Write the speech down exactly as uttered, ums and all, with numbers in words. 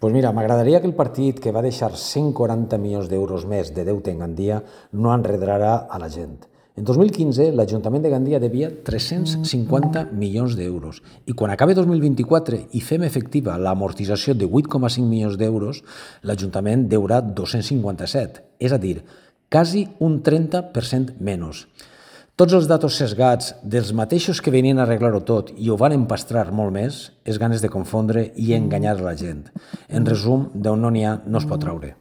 Doncs mira, m'agradaria que el partit que va deixar cent quaranta milions d'euros més de deute en Gandia no enredarà a la gent. En dos mil quinze, l'Ajuntament de Gandia devia tres-cents cinquanta milions d'euros i quan acabi dos mil vint-i-quatre i fem efectiva l'amortització de vuit coma cinc milions d'euros, l'Ajuntament deurà dos-cents cinquanta-set, és a dir, quasi un trenta per cent menys. Tots els datos sesgats dels mateixos que venien a arreglar-ho tot i ho van empastrar molt més, és ganes de confondre i enganyar la gent. En resum, d'on no n'hi ha no es pot traure.